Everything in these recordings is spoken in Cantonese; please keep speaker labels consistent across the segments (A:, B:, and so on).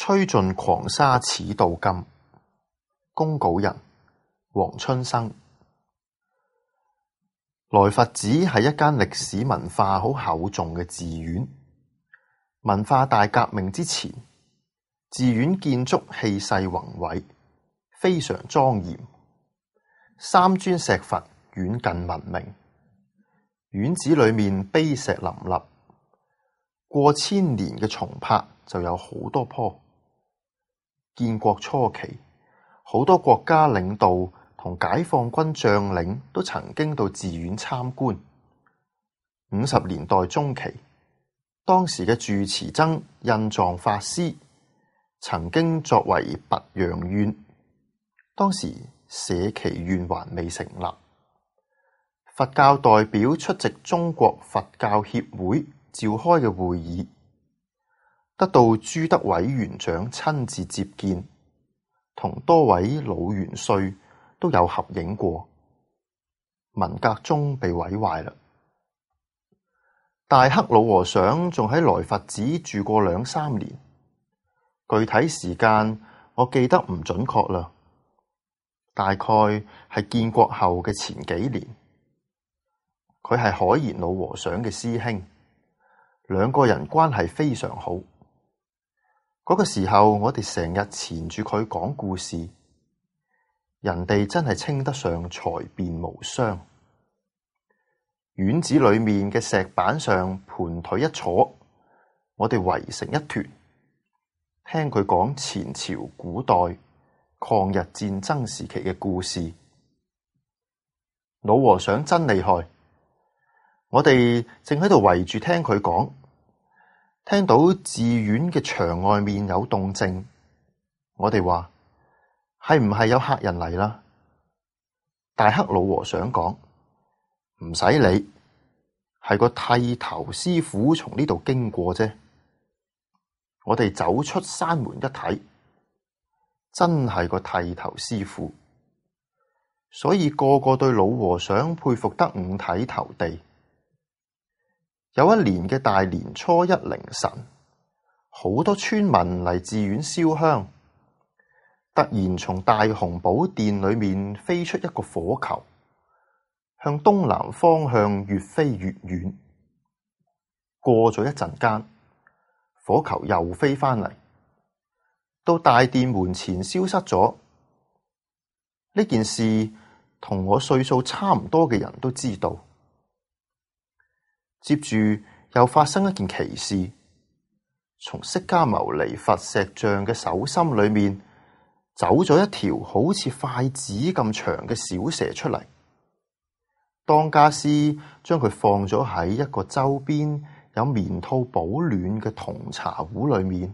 A: 吹盡狂沙始到金。公稿人黃春生。來佛寺係一間歷史文化好厚重嘅寺院。文化大革命之前，寺院建築氣勢宏偉，非常莊嚴。三尊石佛遠近聞名，院子裏面碑石林立，過千年嘅松柏就有好多棵。建國初期，好多國家領導同解放軍將領都曾經到寺院參觀。50年代中期，當時嘅住持僧印藏法師曾經作為拔陽院，當時社耆院還未成立，佛教代表出席中國佛教協會召開嘅會議，得到朱德委員長親自接見，同多位老元帥都有合影過。文革中被毀壞啦。大黑老和尚仲喺來佛寺住過2-3年，具體時間我記得唔準確啦，大概係建國後嘅前幾年。佢係海賢老和尚嘅師兄，兩個人關係非常好。嗰個時候我哋成日纏住佢講故事，人哋真係稱得上才辯無雙。院子裏面嘅石板上盤腿一坐，我哋圍成一團，聽佢講前朝古代抗日戰爭時期嘅故事。老和尚真厲害，我哋正喺度圍住聽佢講，聽到寺院嘅牆外面有動靜，我哋話係唔係有客人嚟啦？大黑老和尚講，唔使理，係個剃頭師傅從呢度經過啫。我哋走出山門一睇，真係個剃頭師傅，所以個個對老和尚佩服得五體投地。有一年嘅大年初一凌晨，好多村民嚟寺院燒香，突然從大雄寶殿裏面飛出一個火球，向東南方向越飛越遠。過咗一陣間，火球又飛返嚟，到大殿門前消失咗。呢件事同我歲數差唔多嘅人都知道。接住又發生一件奇事，從釋迦牟尼佛石像嘅手心裏面走咗一條好似筷子咁長嘅小蛇出嚟。當家師將佢放咗喺一個周邊有棉套保暖嘅銅茶壺裏面。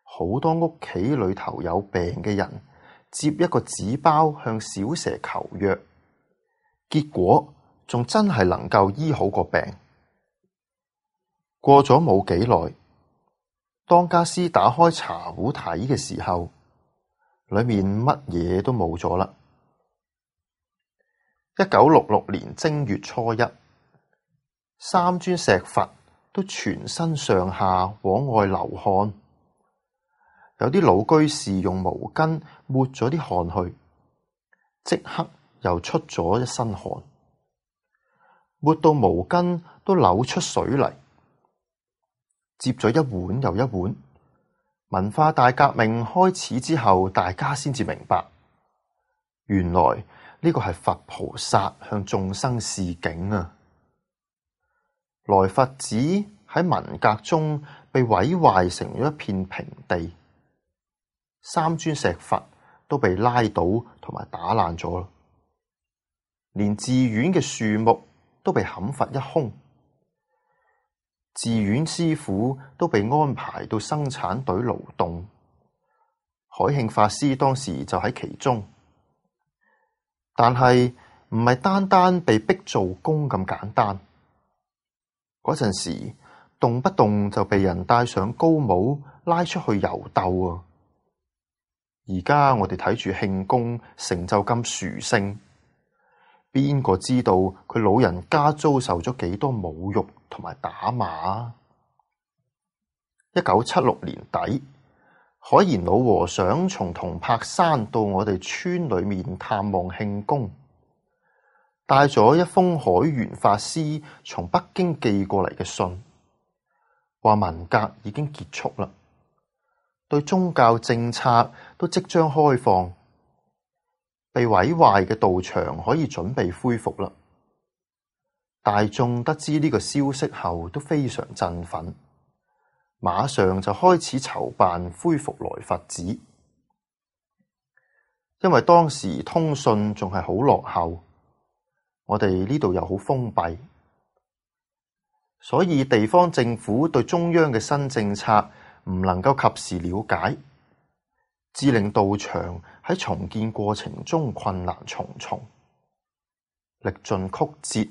A: 好多屋企裏頭有病嘅人接一個紙包向小蛇求藥，結果仲真係能夠醫好個病。過咗冇幾耐，當家師打開茶壺睇嘅時候，裏面乜嘢都冇咗啦。1966年正月初一，三尊石佛都全身上下往外流汗，有啲老居士用毛巾抹咗啲汗去，即刻又出咗一身汗，抹到毛巾都扭出水嚟。接咗一碗又一碗，文化大革命開始之後，大家先至明白，原來呢個係佛菩薩向眾生示警啊！來佛寺喺文革中被毀壞成咗一片平地，三尊石佛都被拉倒同埋打爛咗，連寺院嘅樹木都被砍伐一空。寺院師傅都被安排到生產隊勞動，海慶法師當時就喺其中。但係唔係單單被逼做工咁簡單，嗰陣時動不動就被人戴上高帽拉出去遊鬥啊！而家我哋睇住慶功成就咁殊勝，邊個知道佢老人家遭受咗幾多侮辱同埋打罵？1976年底，海賢老和尚從銅柏山到我哋村裏面探望慶公，帶咗一封海玄法師從北京寄過嚟嘅信，話文革已經結束啦，對宗教政策都即將開放，被毀壞嘅道場可以準備恢復啦。大眾得知呢個消息後都非常振奮，馬上就開始籌辦恢復來佛寺。因為當時通訊仲係好落後，我哋呢度又好封閉，所以地方政府對中央嘅新政策唔能夠及時了解，致令道場喺重建過程中困難重重，歷盡曲折，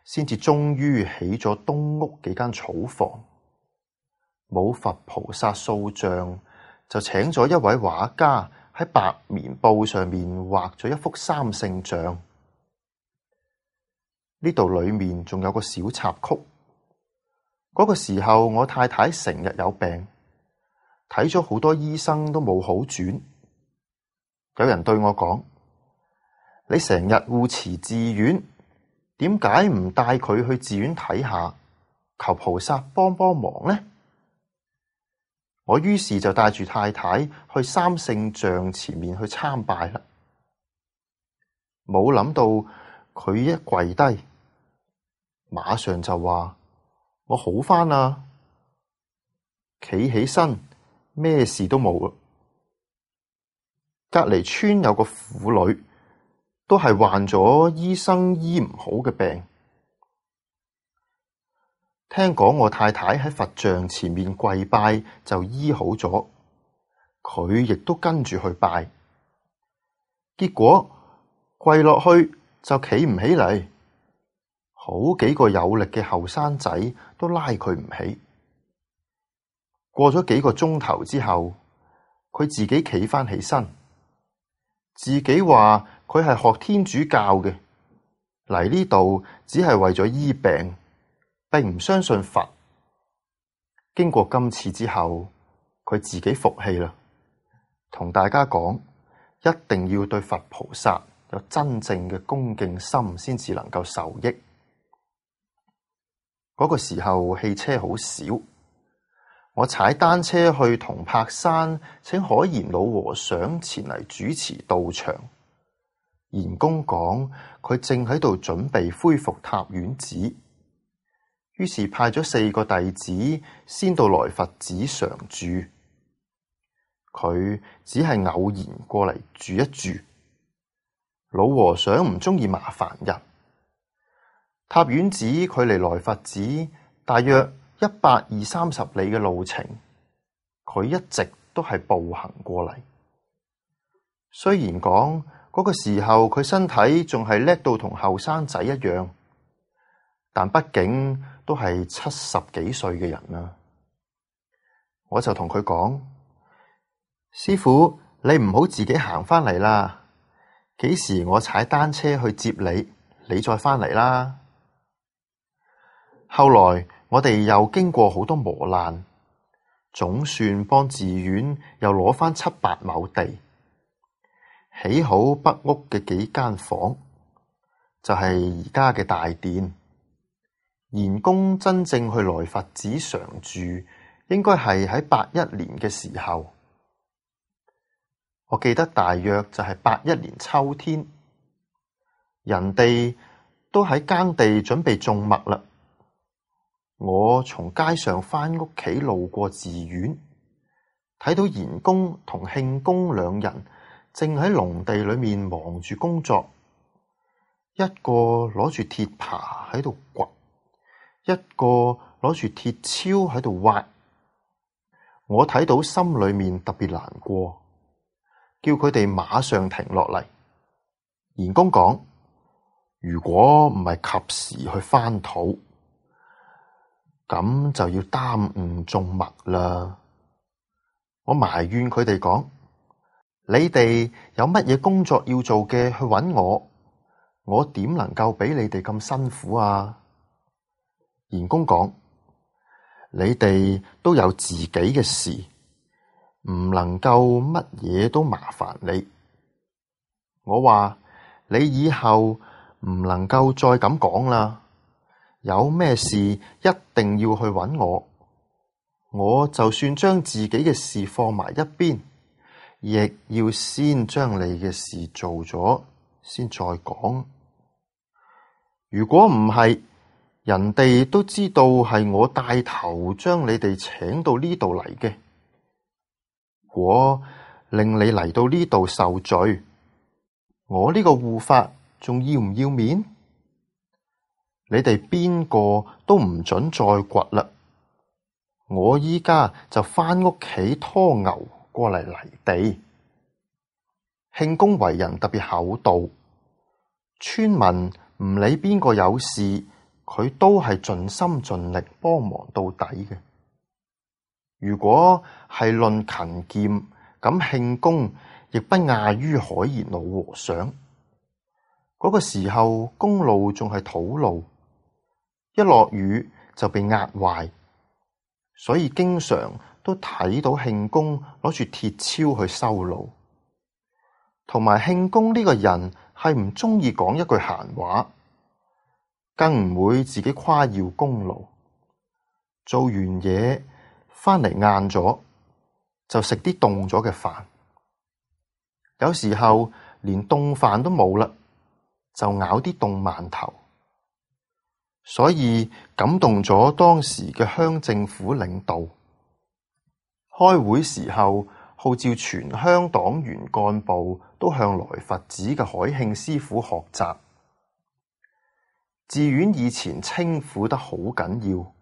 A: 先至終於起咗東屋幾間草房。冇佛菩薩塑像，就請咗一位畫家喺白棉布上面畫咗一幅三聖像。呢度裏面仲有個小插曲。嗰個時候我太太成日有病，睇咗好多醫生都冇好轉。有人對我講：你成日護持寺院，點解唔帶佢去寺院睇下，求菩薩幫幫忙呢？我於是就帶住太太去三聖像前面去參拜啦。冇諗到佢一跪低，馬上就話：我好返啦，企起身，咩事都冇啦。隔離村有個婦女，都係患咗醫生醫唔好嘅病。聽講我太太喺佛像前面跪拜就醫好咗，佢亦都跟住去拜，結果跪落去就企唔起嚟，好幾個有力嘅後生仔都拉佢唔起。過咗幾個鐘頭之後，佢自己企返起身，自己話佢係學天主教嘅，嚟呢度只係為咗醫病，並唔相信佛。經過今次之後，佢自己服氣啦，同大家講，一定要對佛菩薩有真正嘅恭敬心，先至能夠受益。嗰個時候汽車好少，我踩單車去銅柏山，請海賢老和尚前嚟主持道場。賢公講佢正喺度準備恢復塔院寺，於是派咗4個弟子先到來佛寺常住。佢只係偶然過嚟住一住。老和尚唔中意麻煩人。塔院寺距離來佛寺大約120-130里嘅路程，佢一直都係步行過嚟。雖然講嗰個時候佢身體仲係叻到同後生仔一樣，但畢竟都係70幾歲嘅人啦。我就同佢講：師父，你唔好自己行返嚟啦，幾時我踩單車去接你，你再返嚟啦。後來我哋又經過好多磨難，總算幫寺院又攞返7-8畝地，起好北屋嘅幾間房，就係而家嘅大殿。賢公真正去來佛寺常住，應該係喺81年嘅時候。我記得大約就係81年秋天，人哋都喺耕地準備種麥啦。我從街上返屋企路過寺院，睇到賢公同慶公2人正喺農地裏面忙住工作，一個攞住鐵耙喺度掘，一個攞住鐵鍬喺度挖。我睇到心裏面特別難過，叫佢哋馬上停落嚟。賢公講：如果唔係及時去翻土，咁就要耽誤種麥啦。我埋怨佢哋講：你哋有乜嘢工作要做嘅，去搵我，我點能夠俾你哋咁辛苦啊？賢公講：你哋都有自己嘅事，唔能夠乜嘢都麻煩你。我話你以後唔能夠再咁講啦，有咩事一定要去搵我。我就算將自己嘅事放埋一邊，亦要先將你嘅事做咗先再講。如果唔係，人哋都知道係我帶頭將你哋請到呢度嚟嘅，我令你嚟到呢度受罪，我呢個護法仲要唔要面？你哋邊個都唔准再掘啦！我依家就返屋企拖牛過嚟犁地。慶公為人特別厚道，村民唔理邊個有事，佢都係盡心盡力幫忙到底嘅。如果係論勤儉，咁慶公亦不亞於海賢老和尚。嗰個時候公路仲係土路，一落雨就被壓壞，所以經常都睇到慶公攞住鐵鍬去修路。同埋慶公呢個人係唔鍾意講一句閒話，更唔會自己誇耀功勞。做完嘢返嚟晏咗，就食啲凍咗嘅飯，有時候連凍飯都冇啦，就咬啲凍饅頭。所以感動咗當時嘅鄉政府領導，開會時候號召全鄉黨員幹部都向來佛寺嘅海慶師傅學習。寺院以前清苦得好緊要，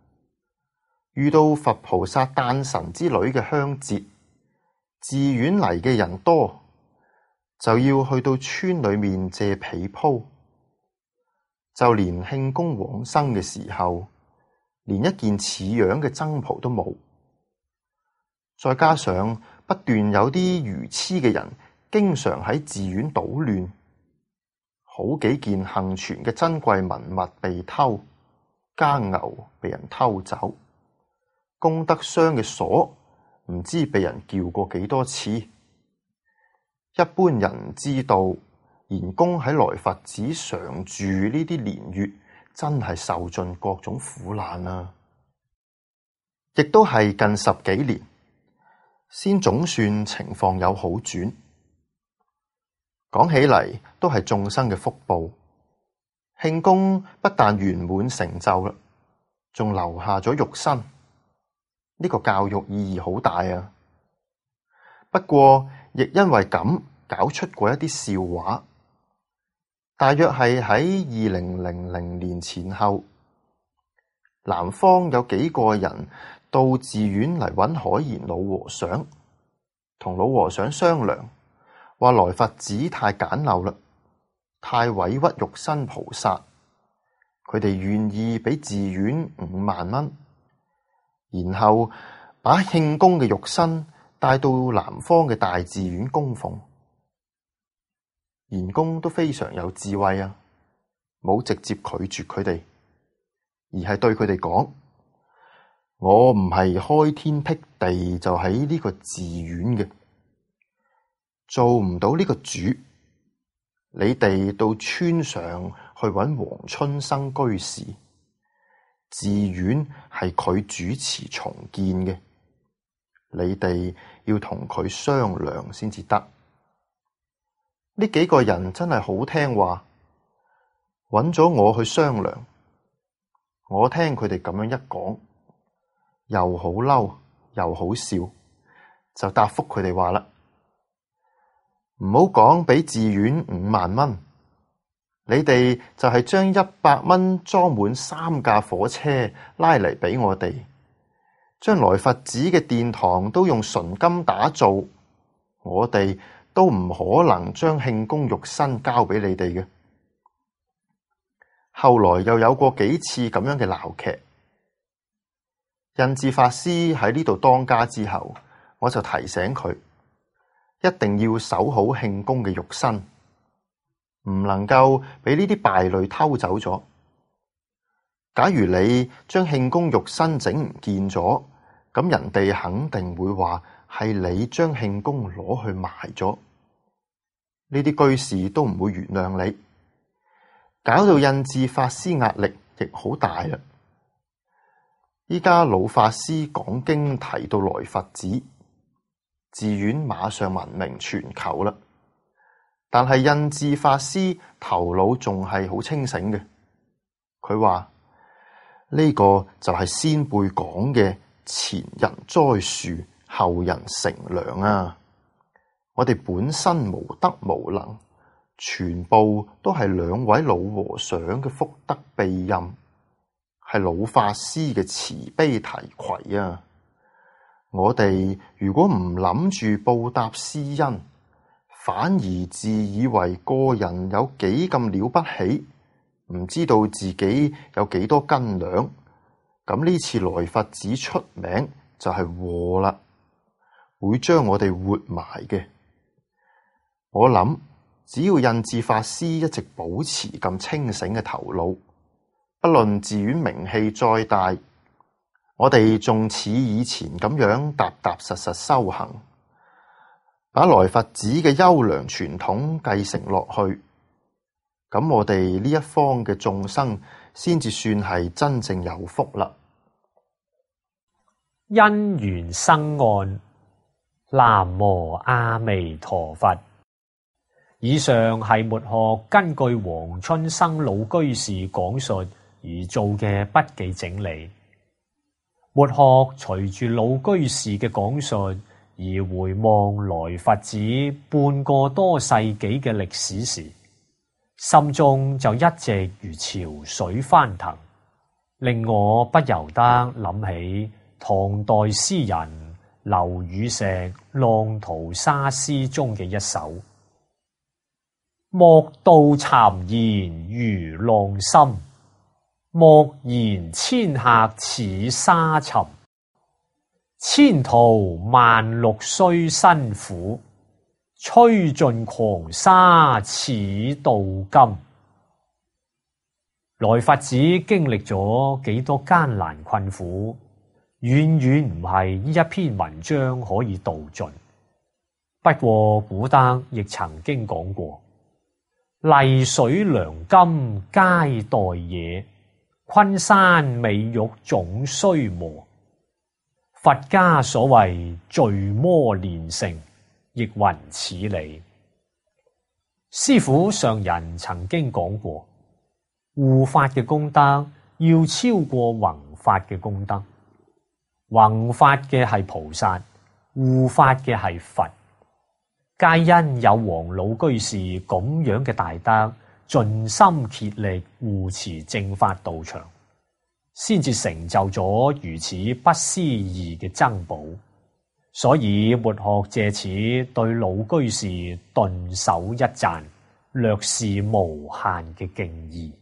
A: 遇到佛菩薩誕辰之類嘅香節，寺院嚟嘅人多，就要去到村裏面借被鋪。就連慶公往生嘅時候，連一件似樣嘅僧袍都冇。再加上不斷有啲愚癡嘅人經常喺寺院搗亂，好幾件幸存嘅珍貴文物被偷，耕牛被人偷走，功德箱嘅鎖唔知被人撬過幾多次。一般人知道賢公喺來佛寺常住呢啲年月，真係受盡各種苦難啊！亦都係近10幾年，先總算情況有好轉。講起嚟都係眾生嘅福報。慶公不但圓滿成就啦，仲留下咗肉身，呢個教育意義好大啊！不過亦因為咁搞出過一啲笑話。大約係喺2000年前後，南方有幾個人到寺院嚟揾海賢老和尚，同老和尚商量，話來佛寺太簡陋啦，太委屈肉身菩薩，佢哋願意俾寺院5萬蚊，然後把慶公嘅肉身帶到南方嘅大寺院供奉。賢公都非常有智慧啊，冇直接拒絕佢哋，而係對佢哋講：我唔係開天闢地就喺呢個寺院嘅，做唔到呢個主。你哋到村上去揾黃春生居士，寺院係佢主持重建嘅，你哋要同佢商量先至得。呢幾個人真係好聽話，揾咗我去商量。我聽佢哋咁樣一講，又好嬲又好笑，就答覆佢哋話啦：唔好講俾寺院5萬蚊，你哋就係將100蚊裝滿3架火車拉嚟俾我哋，將來佛寺嘅殿堂都用純金打造，我哋都唔可能將慶公肉身交俾你哋嘅。後來又有過幾次咁樣嘅鬧劇。印智法師喺呢度當家之後，我就提醒佢，一定要守好慶公嘅肉身，唔能夠俾呢啲敗類偷走咗。假如你將慶公肉身整唔見咗，咁人哋肯定會話係你將慶功攞去埋咗，呢啲居士都唔會原諒你，搞到印智法師壓力亦好大啦。依家老法師講經提到來佛子，寺院馬上聞名全球啦。但係印智法師頭腦仲係好清醒嘅，佢話呢個就係先輩講嘅前人栽樹，後人乘涼啊！我哋本身無德無能，全部都係兩位老和尚嘅福德庇蔭，係老法師嘅慈悲提攜啊！我哋如果唔諗住報答師恩，反而自以為個人有幾咁了不起，唔知道自己有幾多斤兩，咁呢次來佛子出名就係禍啦，會將我哋活埋嘅。我諗只要印智法師一直保持咁清醒嘅頭腦，不論寺院名氣再大，我哋仲似以前咁樣踏踏實實修行，把來佛子嘅優良傳統繼承落去，咁我哋呢一方嘅眾生先至算係真正有福啦。
B: 因緣生案，南無阿彌陀佛。以上係末學根據黃春生老居士講述而做嘅筆記整理。末學隨住老居士嘅講述而回望來佛子半個多世紀嘅歷史時，心中就一直如潮水翻騰，令我不由得諗起唐代詩人劉禹錫《浪淘沙》詩中嘅一首：莫道讒言如浪深，莫言遷客似沙沉。千途萬陸須辛苦，吹盡狂沙似鍍金。來佛子經歷咗幾多艱難困苦，遠遠唔係呢一篇文章可以道盡。不過古德亦曾經講過：麗水良金皆待野，昆山美玉總須磨。佛家所謂聚魔練成，亦云此理。師父上人曾經講過，護法嘅功德要超過弘法嘅功德。弘法嘅係菩薩，護法嘅係佛。皆因有黃老居士咁樣嘅大德，盡心竭力護持正法道場，先至成就咗如此不思議嘅珍寶。所以末學借此對老居士頓首一讚，略是無限嘅敬意。